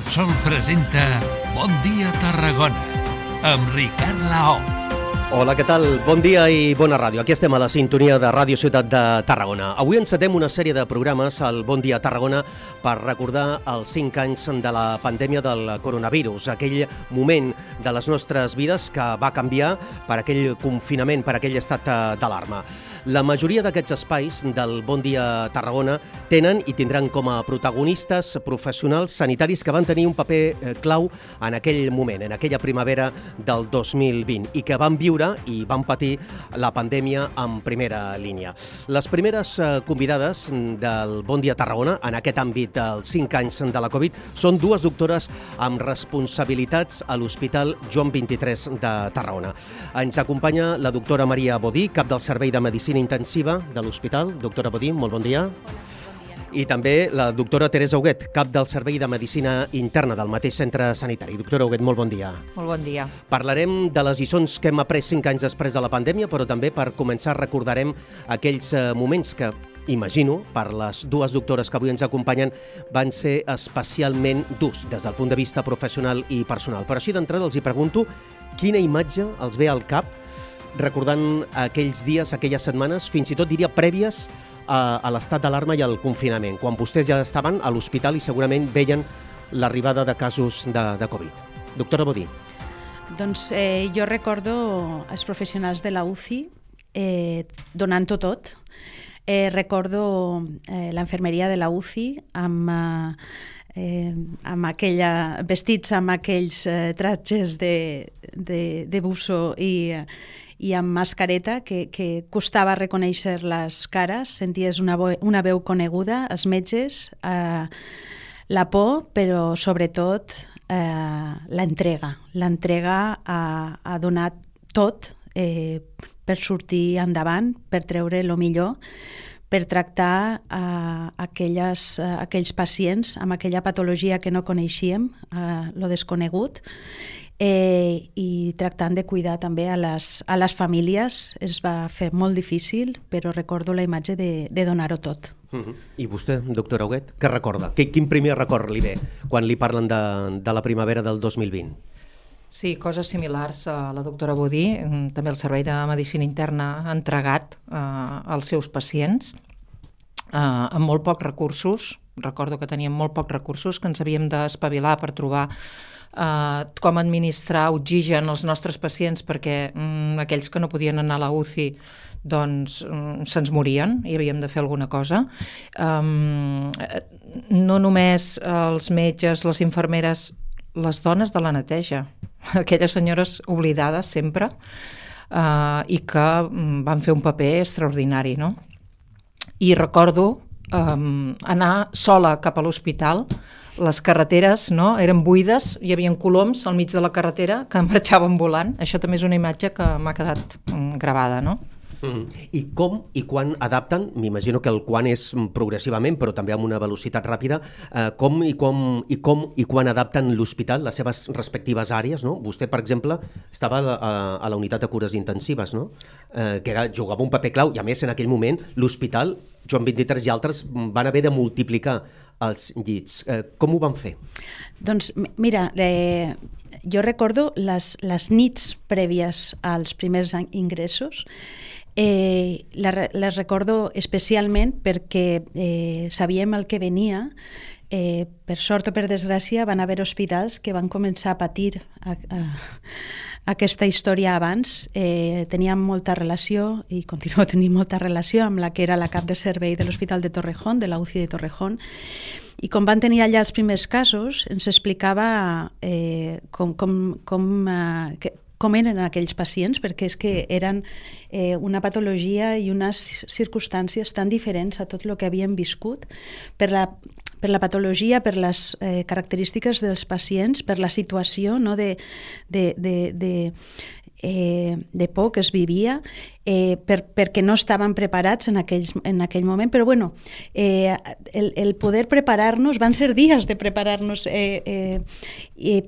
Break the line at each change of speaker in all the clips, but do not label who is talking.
Repsol presenta Bon dia Tarragona amb Ricard Laoz.
Hola, què tal? Bon dia i bona ràdio. Aquí estem a la sintonia de Ràdio Ciutat de Tarragona. Avui encetem una sèrie de programes al Bon dia Tarragona per recordar els 5 anys de la pandèmia del coronavirus, aquell moment de les nostres vides que va canviar per aquell confinament, per aquell estat d'alarma. La majoria d'aquests espais del Bon dia Tarragona tenen i tindran com a protagonistes professionals sanitaris que van tenir un paper clau en aquell moment, en aquella primavera del 2020 i que van viure i van patir la pandèmia en primera línia. Les primeres convidades del Bon dia Tarragona en aquest àmbit dels 5 anys de la Covid són dues doctores amb responsabilitats a l'Hospital Joan XXIII de Tarragona. Ens acompanya la doctora Maria Bodí, cap del Servei de Medicina Intensiva de l'Hospital. Doctora Bodí, molt bon dia. I també la doctora Teresa Huguet, cap del Servei de Medicina Interna del mateix centre sanitari. Doctora Huguet, molt bon dia.
Molt bon dia.
Parlarem de les lliçons que hem après 5 anys després de la pandèmia, però també per començar recordarem aquells moments que, imagino, per les dues doctores que avui ens acompanyen, van ser especialment durs des del punt de vista professional i personal. Però així d'entrada els hi pregunto quina imatge els ve al cap recordant aquells dies, aquelles setmanes, fins i tot diria prèvies a l'estat d'alarma i al confinament, quan vostès ja estaven a l'hospital i segurament veien l'arribada de casos de Covid. Doctora Bodí.
Doncs jo recordo els professionals de la UCI donant-ho tot. Recordo l'infermeria de la UCI vestits amb aquells tratges de buzo i amb mascareta que costava reconèixer les cares, senties una veu coneguda, els metges, la por, però sobretot l'entrega a donar tot per sortir endavant, per treure el millor, per tractar aquells pacients amb aquella patologia que no coneixíem, lo desconegut, i tractant de cuidar també a les famílies. Es va fer molt difícil, però recordo la imatge de donar-ho tot.
I vostè, doctora Huguet, què recorda? Quin primer record li ve quan li parlen de la primavera del 2020?
Sí, coses similars a la doctora Bodí. També el Servei de Medicina Interna ha entregat als seus pacients amb molt pocs recursos. Recordo que teníem molt pocs recursos, que ens havíem d'espavilar per trobar com administrar oxigen als nostres pacients, perquè aquells que no podien anar a la UCI doncs se'ns morien i havíem de fer alguna cosa. No només els metges, les infermeres, les dones de la neteja, aquelles senyores oblidades sempre i que van fer un paper extraordinari, no? I recordo anar sola cap a l'hospital. Les carreteres eren buides, hi havia coloms al mig de la carretera que marxaven volant. Això també és una imatge que m'ha quedat gravada, no?
I com i quan adapten, m'imagino que el quan és progressivament, però també amb una velocitat ràpida, com i quan adapten l'hospital, les seves respectives àrees, no? Vostè, per exemple, estava a la unitat de cures intensives, no? Que jugava un paper clau, i a més en aquell moment l'hospital Joan XXIII i altres van haver de multiplicar els llits. Com ho van fer?
Doncs mira, jo recordo les nits prèvies als primers ingressos. Les recordo especialment perquè sabíem el que venia. Per sort o per desgràcia van haver hospitals que van començar a patir aquesta història abans. Teníem molta relació i continuo tenint molta relació amb la que era la cap de servei de l'Hospital de Torrejón, de la UCI de Torrejón, i com van tenir allà els primers casos ens explicava com eren aquells pacients, perquè és que eren una patologia i unes circumstàncies tan diferents a tot el que havien viscut per la patologia, per les característiques dels pacients, per la situació de por que es vivia, perquè no estaven preparats en aquell moment, però bueno, el poder preparar-nos, van ser dies de preparar-nos,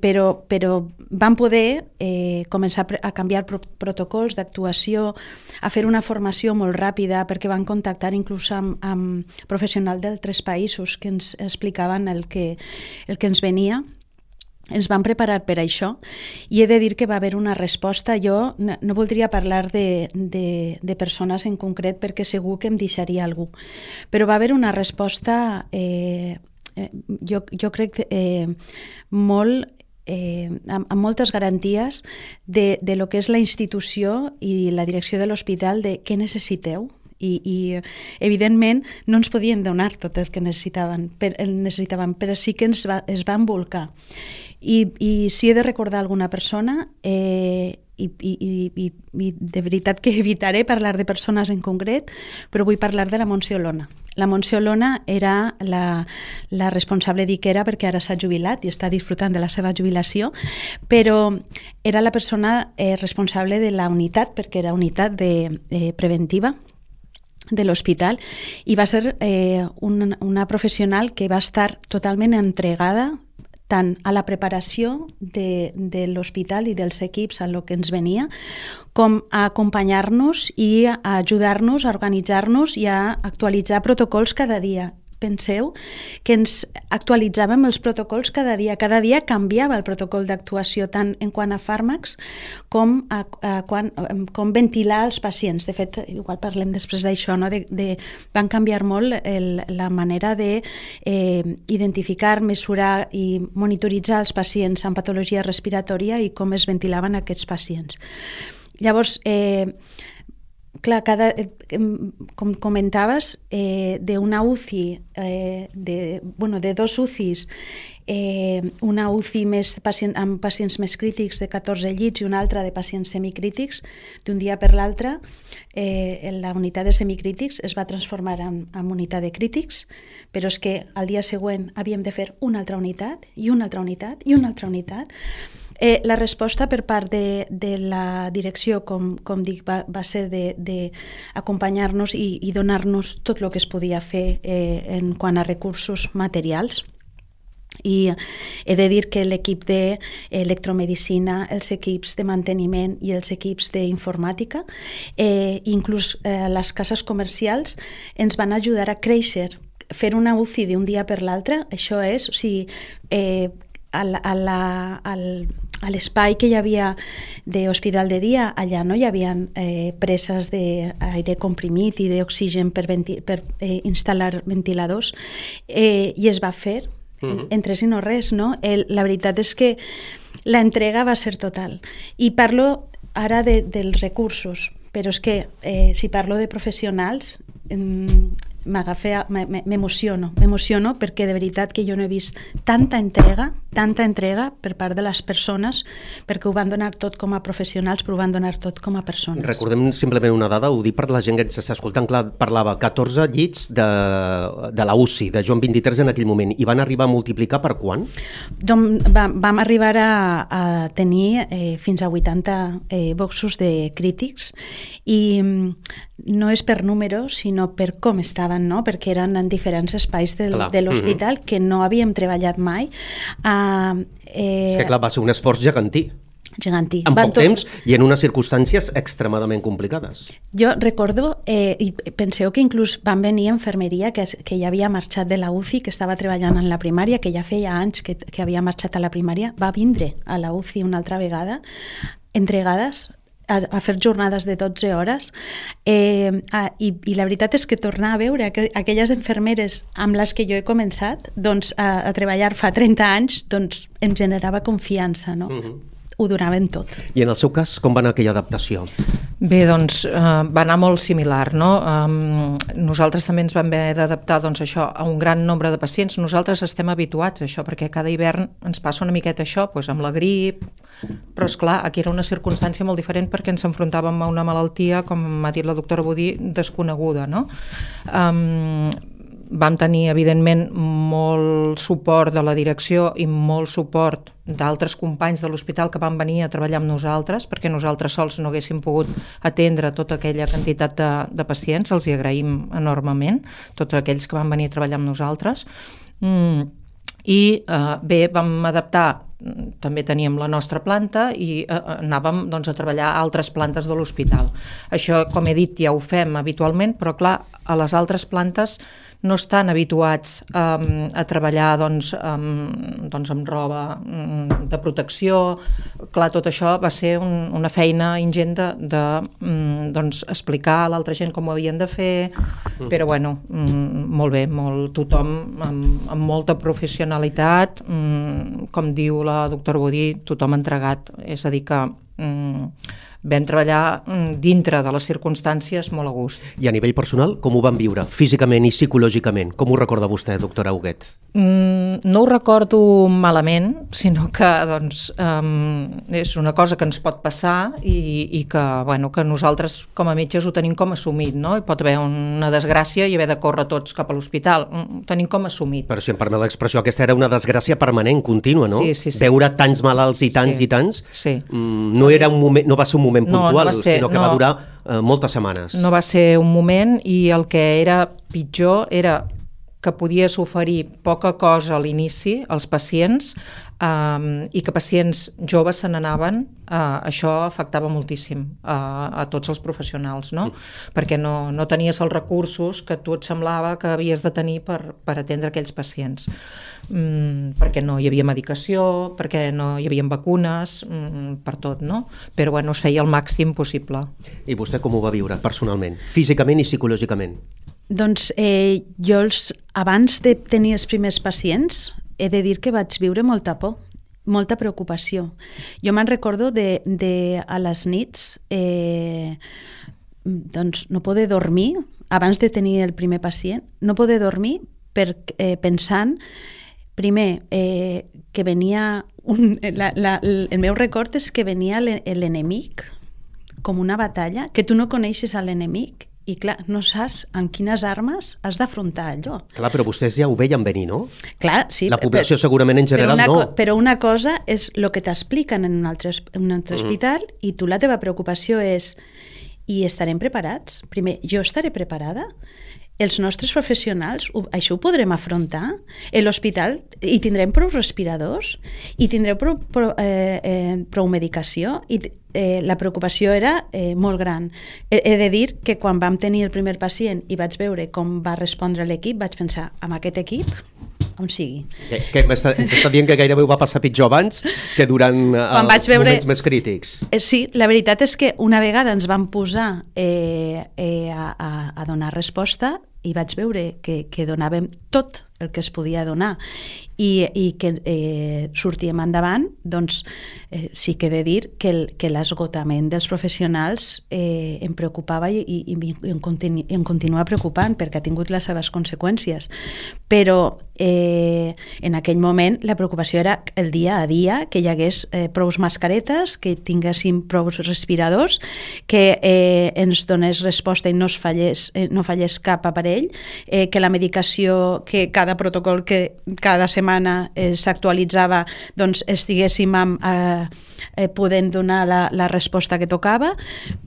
però vam poder començar a canviar protocols d'actuació, a fer una formació molt ràpida, perquè van contactar inclús amb professionals d'altres països que ens explicaven el que ens venia. ens vam preparar per això i he de dir que va haver una resposta. Jo no voldria parlar de persones en concret perquè segur que em deixaria algú, però va haver una resposta jo crec molt amb moltes garanties de lo que és la institució i la direcció de l'hospital de què necessiteu. I evidentment no ens podien donar tot el que necessitaven, però sí que es van volcar. I si he de recordar alguna persona, i de veritat que evitaré parlar de persones en concret, però vull parlar de la Montse Olona. La Montse Olona era la responsable d'Iquera, perquè ara s'ha jubilat i està disfrutant de la seva jubilació, però era la persona responsable de la unitat, perquè era unitat preventiva de l'hospital, i va ser una professional que va estar totalment entregada tant a la preparació de l'hospital i dels equips a lo que ens venia, com a acompanyar-nos i a ajudar-nos a organitzar-nos i a actualitzar protocols cada dia. Penseu que ens actualitzàvem els protocols cada dia. Cada dia canviava el protocol d'actuació, tant en quant a fàrmacs com com ventilar els pacients. De fet, igual parlem després d'això, no? Van canviar molt la manera d'identificar, mesurar i monitoritzar els pacients amb patologia respiratòria i com es ventilaven aquests pacients. Llavors, clar, com comentaves, d'una UCI, de dos UCIs, una UCI amb pacients més crítics de 14 llits i una altra de pacients semicrítics, d'un dia per l'altre, la unitat de semicrítics es va transformar en unitat de crítics, però és que al dia següent havíem de fer una altra unitat i una altra unitat i una altra unitat. La resposta per part de la direcció, com dic, va ser d'acompanyar-nos i donar-nos tot el que es podia fer en quant a recursos materials. I he de dir que l'equip d'electromedicina, els equips de manteniment i els equips d'informàtica, inclús les cases comercials, ens van ajudar a créixer. Fer una UCI d'un dia per l'altre, això és, o sigui, a l'espai que hi havia d'hospital de dia, allà no hi havia preses d'aire comprimit i d'oxigen per instal·lar ventiladors, i es va fer en tres i no res, no? La veritat és que l'entrega va ser total. I parlo ara dels recursos, però és que si parlo de professionals m'emociono perquè de veritat que jo no he vist tanta entrega per part de les persones, perquè ho van donar tot com a professionals, però ho van donar tot com a persones.
Recordem simplement una dada, ho dic per la gent que ens està escoltant, clar, parlava 14 llits de la UCI, de Joan 23 en aquell moment, i van arribar a multiplicar per quant?
Doncs vam arribar a tenir fins a 80 boxos de crítics, i no és per número, sinó per com estaven, no? Perquè eren en diferents espais de l'hospital que no havíem treballat mai.
És que clar, va ser un esforç gegantí.
Gegantí.
En poc temps i en unes circumstàncies extremadament complicades.
Jo recordo, i penseu que inclús van venir infermeria que ja havia marxat de la UCI, que estava treballant en la primària, que ja feia anys que havia marxat a la primària, va vindre a la UCI una altra vegada, entregades a fer jornades de 12 hores, i la veritat és que tornar a veure aquelles infermeres amb les que jo he començat a treballar fa 30 anys, doncs em generava confiança, no? Ho donaven tot.
I en el seu cas, com va anar aquella adaptació?
Bé, doncs va anar molt similar, no? Nosaltres també ens vam haver d'adaptar això a un gran nombre de pacients. Nosaltres estem habituats a això, perquè cada hivern ens passa una miqueta això, amb la grip, però esclar, aquí era una circumstància molt diferent perquè ens enfrontàvem a una malaltia, com m'ha dit la doctora Budí, desconeguda, no? Vam tenir, evidentment, molt suport de la direcció i molt suport d'altres companys de l'hospital que van venir a treballar amb nosaltres, perquè nosaltres sols no haguéssim pogut atendre tota aquella quantitat de pacients. Els hi agraïm enormement, tots aquells que van venir a treballar amb nosaltres. I bé, vam adaptar, també teníem la nostra planta i anàvem a treballar a altres plantes de l'hospital. Això, com he dit, ja ho fem habitualment, però clar, a les altres plantes no estan habituats a treballar doncs, amb roba de protecció. Clar, tot això va ser una feina ingent de doncs, explicar a l'altra gent com ho havien de fer, però bueno, molt bé, tothom amb molta professionalitat, com diu la doctora Budí, tothom entregat, és a dir que vam treballar dintre de les circumstàncies molt a gust.
I a nivell personal, com ho van viure, físicament i psicològicament? Com ho recorda vostè, doctora Huguet?
No ho recordo malament, sinó que doncs, és una cosa que ens pot passar i que, bueno, que nosaltres com a metges ho tenim com assumit, no? Hi pot haver una desgràcia i haver de córrer tots cap a l'hospital. Ho tenim com assumit.
Però si em permet l'expressió, aquesta era una desgràcia permanent, contínua, no?
Sí.
Veure tants malalts i tants i tants,
sí.
No era un moment, no va ser un moment puntual, sinó que va durar moltes setmanes.
No va ser un moment, i el que era pitjor era que podies oferir poca cosa a l'inici als pacients i que pacients joves se n'anaven. Això afectava moltíssim a tots els professionals, no? Perquè no tenies els recursos que tu et semblava que havies de tenir per atendre aquells pacients. Perquè no hi havia medicació, perquè no hi havia vacunes, per tot, no? Però bueno, es feia el màxim possible.
I vostè com ho va viure personalment, físicament i psicològicament?
Doncs jo abans de tenir els primers pacients he de dir que vaig viure molta por, molta preocupació. Jo me'n recordo a les nits doncs no poder dormir, abans de tenir el primer pacient, no poder dormir pensant, primer, que venia... el meu record és que venia l'enemic com una batalla, que tu no coneixes a l'enemic, i clar, no saps en quines armes has d'afrontar allò. Clar,
però vostès ja ho veien venir, no?
Clar, sí.
La població segurament en general no.
Però una cosa és el que t'expliquen en un altre hospital, i tu la teva preocupació és: i estarem preparats? Primer, jo estaré preparada? Els nostres professionals, això ho podrem afrontar? A l'hospital hi tindrem prou respiradors? Hi tindreu prou medicació? La preocupació era molt gran. He de dir que quan vam tenir el primer pacient i vaig veure com va respondre l'equip, vaig pensar, amb aquest equip, on sigui.
Ens està dient que gairebé ho va passar pitjor abans que durant els moments més crítics.
Sí, la veritat és que una vegada ens vam posar a donar resposta i vaig veure que donàvem tot el que es podia donar i que sortíem endavant, doncs sí que he de dir que l'esgotament dels professionals em preocupava i em continua preocupant, perquè ha tingut les seves conseqüències. Però en aquell moment la preocupació era el dia a dia, que hi hagués prou mascaretes, que tinguéssim prou respiradors, que ens donés resposta i no fallés cap aparell, que la medicació, que cada protocol que cada setmana s'actualitzava, doncs estiguéssim podent donar la resposta que tocava,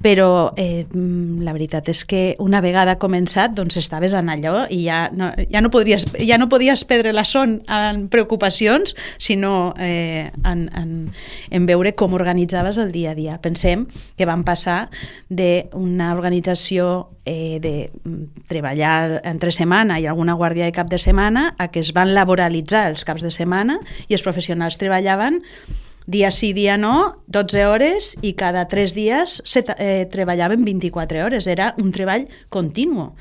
però la veritat és que una vegada començat doncs estaves en allò i ja no podies perdre la son en preocupacions, sinó en veure com organitzaves el dia a dia. Pensem que vam passar d'una organització de treballar entre setmana i alguna guàrdia de cap de setmana a que es van laboralitzar els caps de setmana i els professionals treballaven dia sí, dia no, 12 hores, i cada 3 dies treballaven 24 hores. Era un treball continu.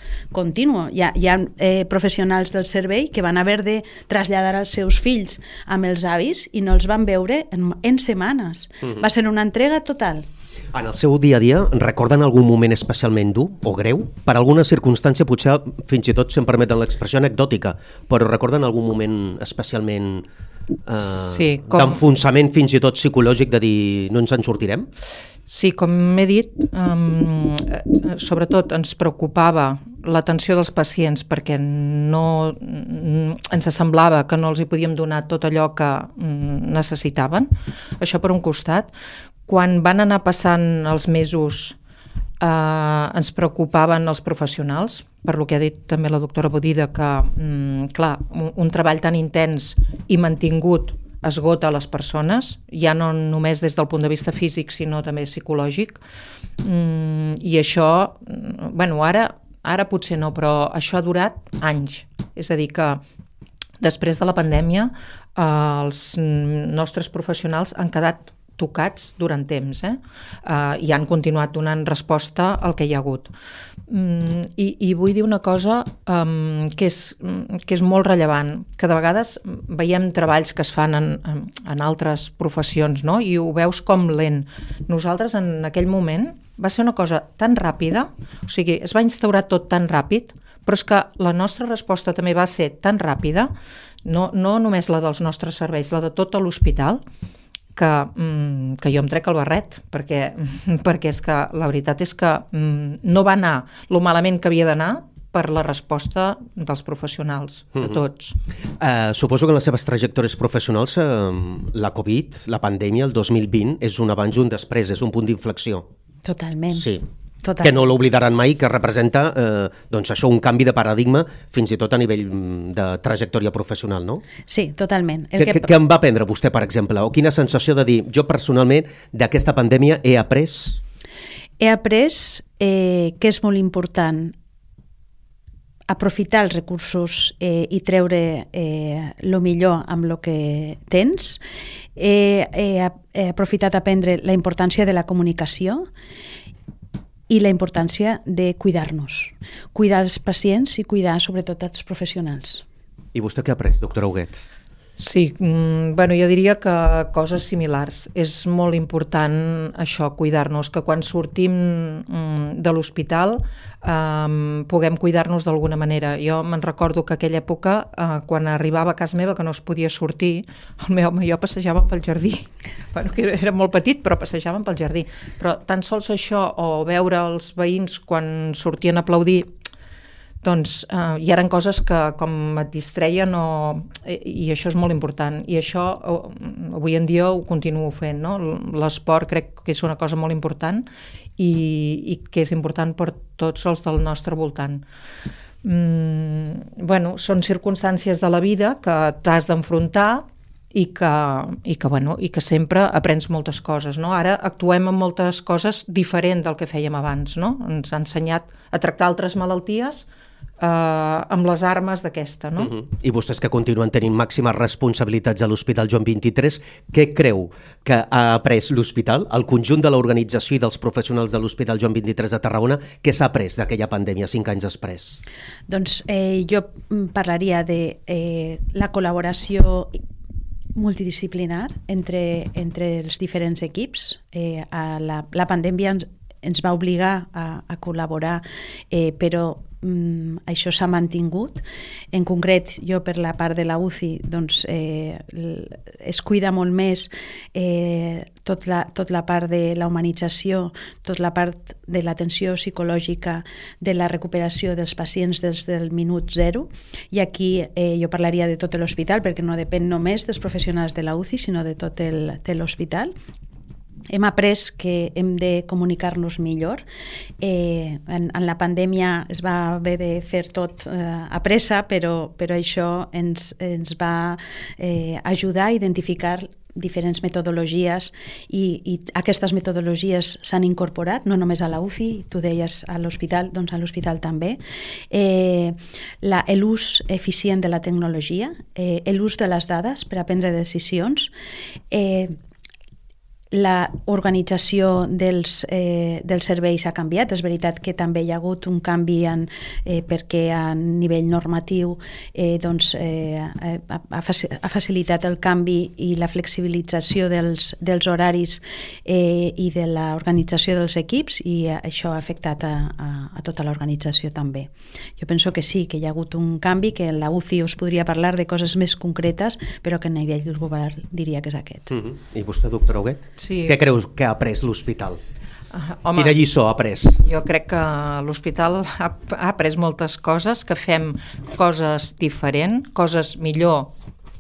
Hi ha professionals del servei que van haver de traslladar els seus fills amb els avis i no els van veure en setmanes. Va ser una entrega total.
En el seu dia a dia, recorden algun moment especialment dur o greu? Per alguna circumstància, potser fins i tot, si em permeten l'expressió, anecdòtica, però recorden algun moment especialment d'enfonsament fins i tot psicològic, de dir no ens en sortirem?
Sí, com he dit, sobretot ens preocupava l'atenció dels pacients perquè no ens semblava que no els hi podíem donar tot allò que necessitaven. Això per un costat. Quan van anar passant els mesos ens preocupaven els professionals, per lo que ha dit també la doctora Bodida, que clar, un treball tan intens i mantingut esgota les persones, ja no només des del punt de vista físic, sinó també psicològic. I això, bueno, ara Ara potser no, però això ha durat anys. És a dir, que després de la pandèmia els nostres professionals han quedat tocats durant temps i han continuat donant resposta al que hi ha hagut. I vull dir una cosa que és molt rellevant, que de vegades veiem treballs que es fan en altres professions, no? I ho veus com lent. Nosaltres en aquell moment va ser una cosa tan ràpida, o sigui, es va instaurar tot tan ràpid, però és que la nostra resposta també va ser tan ràpida, no només la dels nostres serveis, la de tot l'hospital, que jo em trec el barret, perquè és que la veritat és que no va anar lo malament que havia d'anar per la resposta dels professionals, de tots.
Suposo que en les seves trajectòries professionals la Covid, la pandèmia, el 2020, és un abans i un després, és un punt d'inflexió.
Totalment.
Sí.
Total.
Que no l'oblidaran mai, que representa doncs això, un canvi de paradigma fins i tot a nivell de trajectòria professional, no?
Sí, totalment.
Què en va aprendre vostè, per exemple? O quina sensació de dir, jo personalment d'aquesta pandèmia he après?
He après que és molt important aprofitar els recursos i treure el millor amb el que tens. He aprofitat a aprendre la importància de la comunicació i la importància de cuidar-nos, cuidar els pacients i cuidar sobretot els professionals.
I vostè què ha après, doctora Huguet?
Sí, bueno, jo diria que coses similars. És molt important això, cuidar-nos, que quan sortim de l'hospital puguem cuidar-nos d'alguna manera. Jo me'n recordo que aquella època, quan arribava a casa meva que no es podia sortir, el meu home i jo passejàvem pel jardí. Bueno, que era molt petit, però passejàvem pel jardí. Però tan sols això, o veure els veïns quan sortien a aplaudir, doncs hi eren coses que com et distreien i això és molt important. I això avui en dia ho continuo fent, no? L'esport crec que és una cosa molt important i que és important per tots els del nostre voltant. Bueno, són circumstàncies de la vida que t'has d'enfrontar i que sempre aprens moltes coses, no? Ara actuem en moltes coses diferent del que fèiem abans, no? Ens ha ensenyat a tractar altres malalties amb les armes d'aquesta, no?
I vostès que continuen tenint màximes responsabilitats a l'Hospital Joan XXIII, què creu que ha après l'hospital, el conjunt de l'organització i dels professionals de l'Hospital Joan XXIII de Tarragona, què s'ha après d'aquella pandèmia 5 anys després?
Doncs jo parlaria de la col·laboració multidisciplinar entre els diferents equips. La pandèmia ens va obligar a col·laborar, però això s'ha mantingut. En concret, jo per la part de la UCI doncs, es cuida molt més tot la part de la humanització, tota la part de l'atenció psicològica, de la recuperació dels pacients des del minut zero, i aquí jo parlaria de tot l'hospital perquè no depèn només dels professionals de la UCI sinó de tot l'hospital. Hem après que hem de comunicar-nos millor. En la pandèmia es va haver de fer tot a pressa, però això ens va ajudar a identificar diferents metodologies i aquestes metodologies s'han incorporat no només a la UCI, tu deies a l'hospital, doncs a l'hospital també. L'ús eficient de la tecnologia, l'ús de les dades per a prendre decisions, la organització dels serveis ha canviat. És veritat que també hi ha hagut un canvi perquè a nivell normatiu ha facilitat el canvi i la flexibilització dels horaris i de l'organització dels equips, i això ha afectat a tota l'organització també. Jo penso que sí, que hi ha hagut un canvi, que en la UCI us podria parlar de coses més concretes, però que a nivell del govern diria que és aquest.
I vostè, doctora Huguet?
Sí.
Què creus que ha après l'hospital?
Home,
quina lliçó ha après?
Jo crec que l'hospital ha après moltes coses, que fem coses diferents, coses millor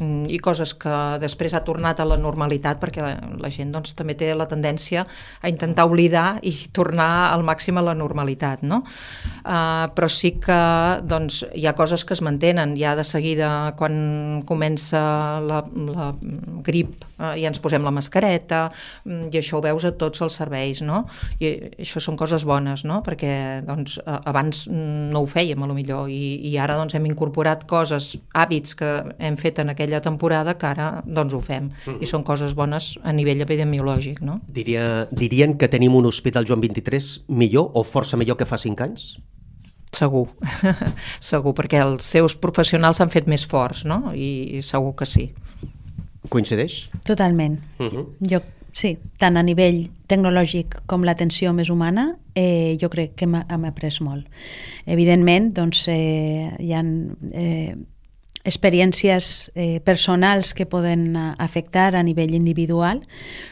i coses que després ha tornat a la normalitat, perquè la gent doncs, també té la tendència a intentar oblidar i tornar al màxim a la normalitat, no? Però sí que doncs, hi ha coses que es mantenen. Ja de seguida, quan comença la grip, ja ens posem la mascareta, i això ho veus a tots els serveis, no? I això són coses bones, no? Perquè doncs, abans no ho fèiem, a lo millor, i ara doncs, hem incorporat coses, hàbits que hem fet en aquella temporada que ara doncs, ho fem, i són coses bones a nivell epidemiològic, no?
Dirien que tenim un hospital Joan 23 millor o força millor que fa 5 anys?
Segur, segur, perquè els seus professionals s'han fet més forts, no? I segur que sí.
Coincideix?
Totalment. Jo, sí, tant a nivell tecnològic com l'atenció més humana, jo crec que hem après molt. Evidentment, doncs, hi ha experiències personals que poden afectar a nivell individual,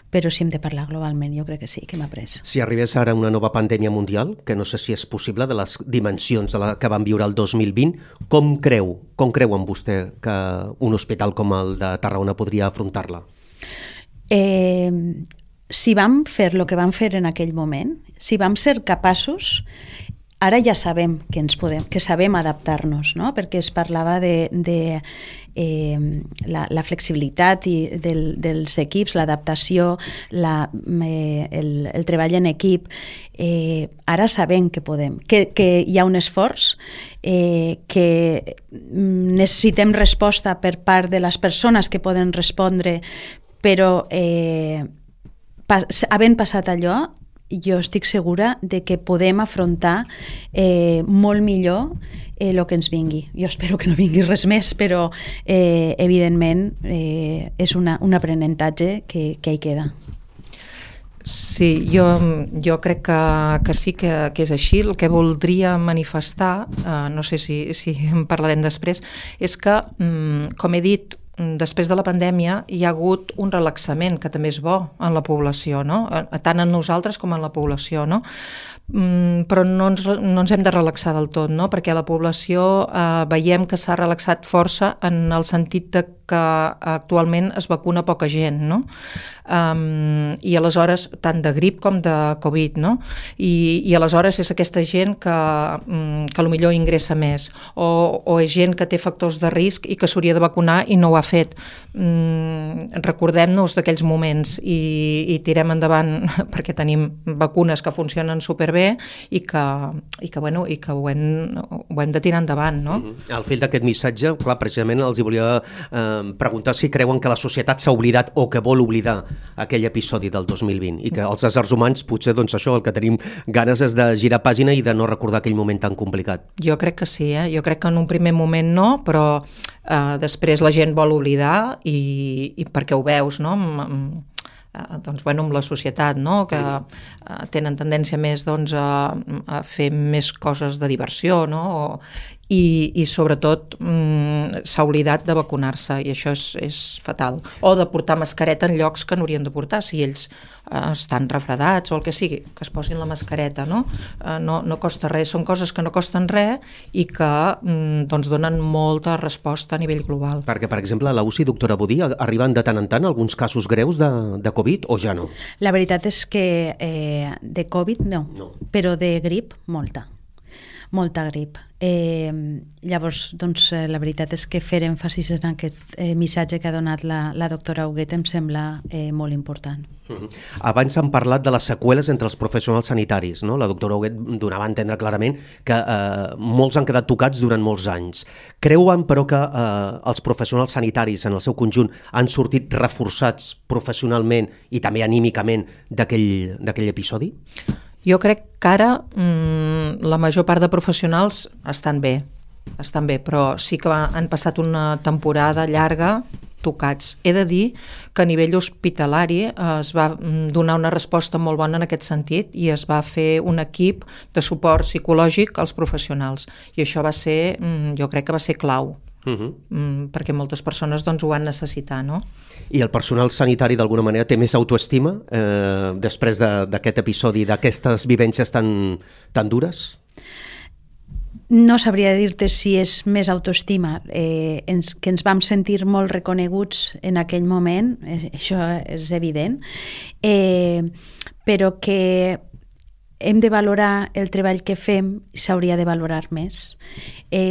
però si hem de parlar globalment, jo crec que sí, que hem après.
Si arribés ara una nova pandèmia mundial, que no sé si és possible, de les dimensions de la que vam viure el 2020, com creu en vostè que un hospital com el de Tarragona podria afrontar-la?
Si vam fer el que vam fer en aquell moment, si vam ser capaços, ara ja sabem que sabem adaptar-nos, no? Perquè es parlava de la flexibilitat dels equips, l'adaptació, el treball en equip. Ara sabem que podem, que hi ha un esforç, que necessitem resposta per part de les persones que poden respondre, però havent passat allò, jo estic segura de que podem afrontar molt millor el que ens vingui. Jo espero que no vingui res més, però evidentment és un aprenentatge que hi queda.
Sí, jo crec que sí que és així. El que voldria manifestar, no sé si en parlarem després, és que, com he dit, després de la pandèmia hi ha hagut un relaxament que també és bo en la població, no? Tant en nosaltres com en la població, no? Però no ens hem de relaxar del tot, no? Perquè la població veiem que s'ha relaxat força en el sentit de que actualment es vacuna poca gent, no? I aleshores, tant de grip com de Covid, no? I aleshores és aquesta gent que potser ingressa més, o és gent que té factors de risc i que s'hauria de vacunar i no ho ha fet. Recordem-nos d'aquells moments i tirem endavant perquè tenim vacunes que funcionen superbé i que ho hem de tirar endavant, no?
Al fil d'aquest missatge, clar, precisament els hi volia preguntar si creuen que la societat s'ha oblidat o que vol oblidar aquell episodi del 2020 i que els éssers humans potser doncs això, el que tenim ganes és de girar pàgina i de no recordar aquell moment tan complicat.
Jo crec que sí, jo crec que en un primer moment no, però després la gent vol oblidar i perquè ho veus, no? Doncs, amb la societat, no? Que tenen tendència més doncs, a fer més coses de diversió, no? I sobretot s'ha oblidat de vacunar-se i això és fatal. O de portar mascareta en llocs que no haurien de portar, si ells estan refredats o el que sigui, que es posin la mascareta, no? No costa res, són coses que no costen res i que doncs, donen molta resposta a nivell global.
Perquè, per exemple, a la UCI, doctora Budí, arriben de tant en tant alguns casos greus de Covid o ja no?
La veritat és que de Covid no, però de grip molta grip. Llavors, doncs, la veritat és que fer èmfasis en aquest missatge que ha donat la doctora Huguet em sembla molt important.
Abans han parlat de les seqüeles entre els professionals sanitaris, no? La doctora Huguet donava a entendre clarament que molts han quedat tocats durant molts anys. Creuen, però, que els professionals sanitaris en el seu conjunt han sortit reforçats professionalment i també anímicament d'aquell episodi?
Jo crec que ara la major part de professionals estan bé, però sí que han passat una temporada llarga tocats. He de dir que a nivell hospitalari es va donar una resposta molt bona en aquest sentit i es va fer un equip de suport psicològic als professionals i això va ser, jo crec que va ser clau. Perquè moltes persones doncs, ho van necessitar, no?
I el personal sanitari d'alguna manera té més autoestima després d'aquest episodi, d'aquestes vivències tan dures?
No sabria dir-te si és més autoestima, que ens vam sentir molt reconeguts en aquell moment, això és evident, però que hem de valorar el treball que fem i s'hauria de valorar més.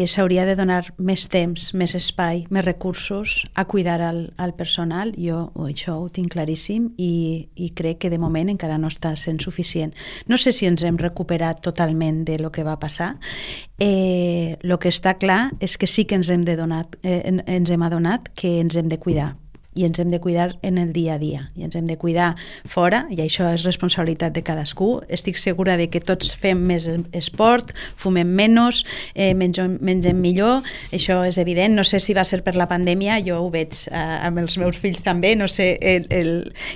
S'hauria de donar més temps, més espai, més recursos a cuidar al personal. Jo això ho tinc claríssim i crec que de moment encara no està sent suficient. No sé si ens hem recuperat totalment de lo que va passar. El que està clar és que sí que ens hem adonat que ens hem de cuidar. I ens hem de cuidar en el dia a dia, i ens hem de cuidar fora, i això és responsabilitat de cadascú. Estic segura de que tots fem més esport, fumem menys, mengem millor, això és evident. No sé si va ser per la pandèmia, jo ho veig amb els meus fills també, no sé,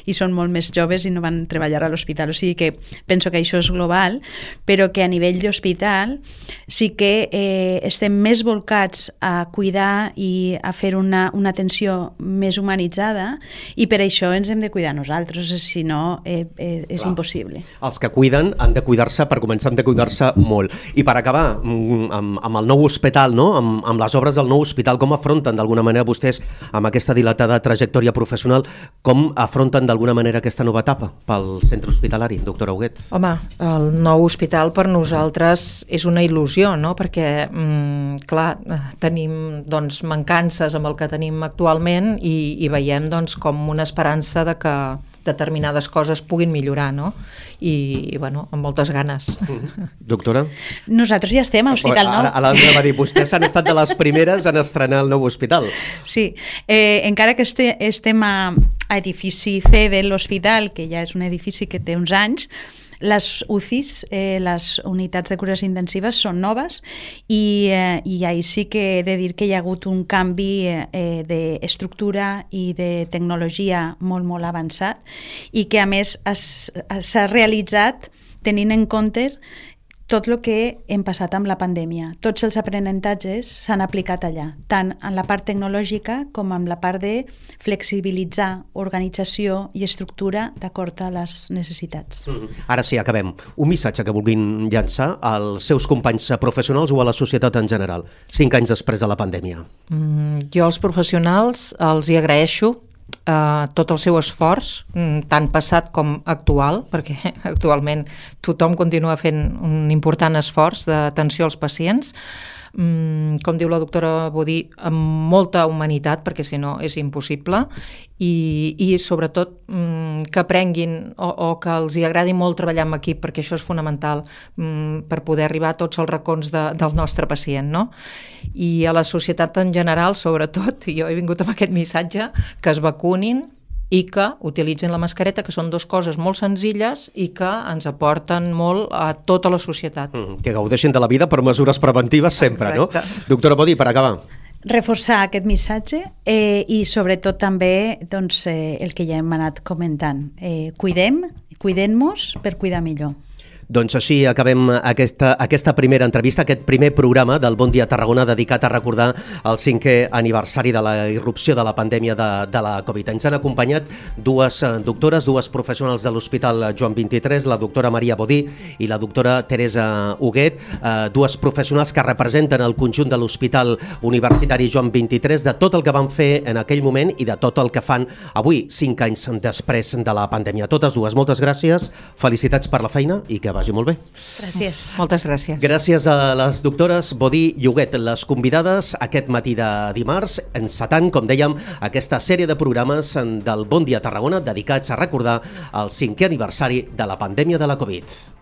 i són molt més joves i no van treballar a l'hospital, o sigui que penso que això és global, però que a nivell d'hospital sí que estem més volcats a cuidar i a fer una atenció més humanitzada, i per això ens hem de cuidar nosaltres, si no és impossible.
Els que cuiden han de cuidar-se, per començar han de cuidar-se molt. I per acabar, amb el nou hospital, no? amb les obres del nou hospital, com afronten d'alguna manera vostès, amb aquesta dilatada trajectòria professional, com afronten d'alguna manera aquesta nova etapa pel centre hospitalari, doctora Huguet?
Home, el nou hospital per nosaltres és una il·lusió, no? Perquè, clar, tenim doncs, mancances amb el que tenim actualment i veiem doncs, com una esperança de que determinades coses puguin millorar, no? I bueno, amb moltes ganes.
Doctora?
Nosaltres ja estem a Hospital Nou.
Ara va dir, vostès han estat de les primeres en estrenar el nou hospital.
Sí, encara que estem a edifici C de l'hospital, que ja és un edifici que té uns anys, les UCIs, les unitats de cures intensives, són noves i ahí sí que he de dir que hi ha hagut un canvi d'estructura i de tecnologia molt, molt avançat i que a més s'ha realitzat tenint en compte tot el que hem passat amb la pandèmia. Tots els aprenentatges s'han aplicat allà, tant en la part tecnològica com en la part de flexibilitzar organització i estructura d'acord a les necessitats.
Ara sí, acabem. Un missatge que vulguin llançar als seus companys professionals o a la societat en general, 5 anys després de la pandèmia.
Jo als professionals els hi agraeixo tot el seu esforç, tant passat com actual, perquè actualment tothom continua fent un important esforç d'atenció als pacients, com diu la doctora Bodí, amb molta humanitat, perquè si no és impossible, i sobretot que aprenguin o que els hi agradi molt treballar en equip, perquè això és fonamental per poder arribar a tots els racons del nostre pacient, no? I a la societat en general, sobretot, jo he vingut amb aquest missatge, que es vacunin i que utilitzin la mascareta, que són 2 coses molt senzilles i que ens aporten molt a tota la societat.
Que gaudeixin de la vida per mesures preventives sempre,
exacte,
no? Doctora Bodí, per acabar.
Reforçar aquest missatge i sobretot també doncs, el que ja hem anat comentant. Cuidem-nos per cuidar millor.
Doncs així acabem aquesta primera entrevista, aquest primer programa del Bon Dia Tarragona dedicat a recordar el 5è aniversari de la irrupció de la pandèmia de la Covid. Ens han acompanyat 2 doctores, 2 professionals de l'Hospital Joan 23, la doctora Maria Bodí i la doctora Teresa Huguet, 2 professionals que representen el conjunt de l'Hospital Universitari Joan 23, de tot el que van fer en aquell moment i de tot el que fan avui, 5 anys després de la pandèmia. Totes dues, moltes gràcies, felicitats per la feina i que vagi molt bé.
Gràcies.
Moltes gràcies.
Gràcies a les doctores Bodí i Huguet, les convidades aquest matí de dimarts, encetant, com dèiem, aquesta sèrie de programes del Bon Dia Tarragona dedicats a recordar el 5è aniversari de la pandèmia de la Covid.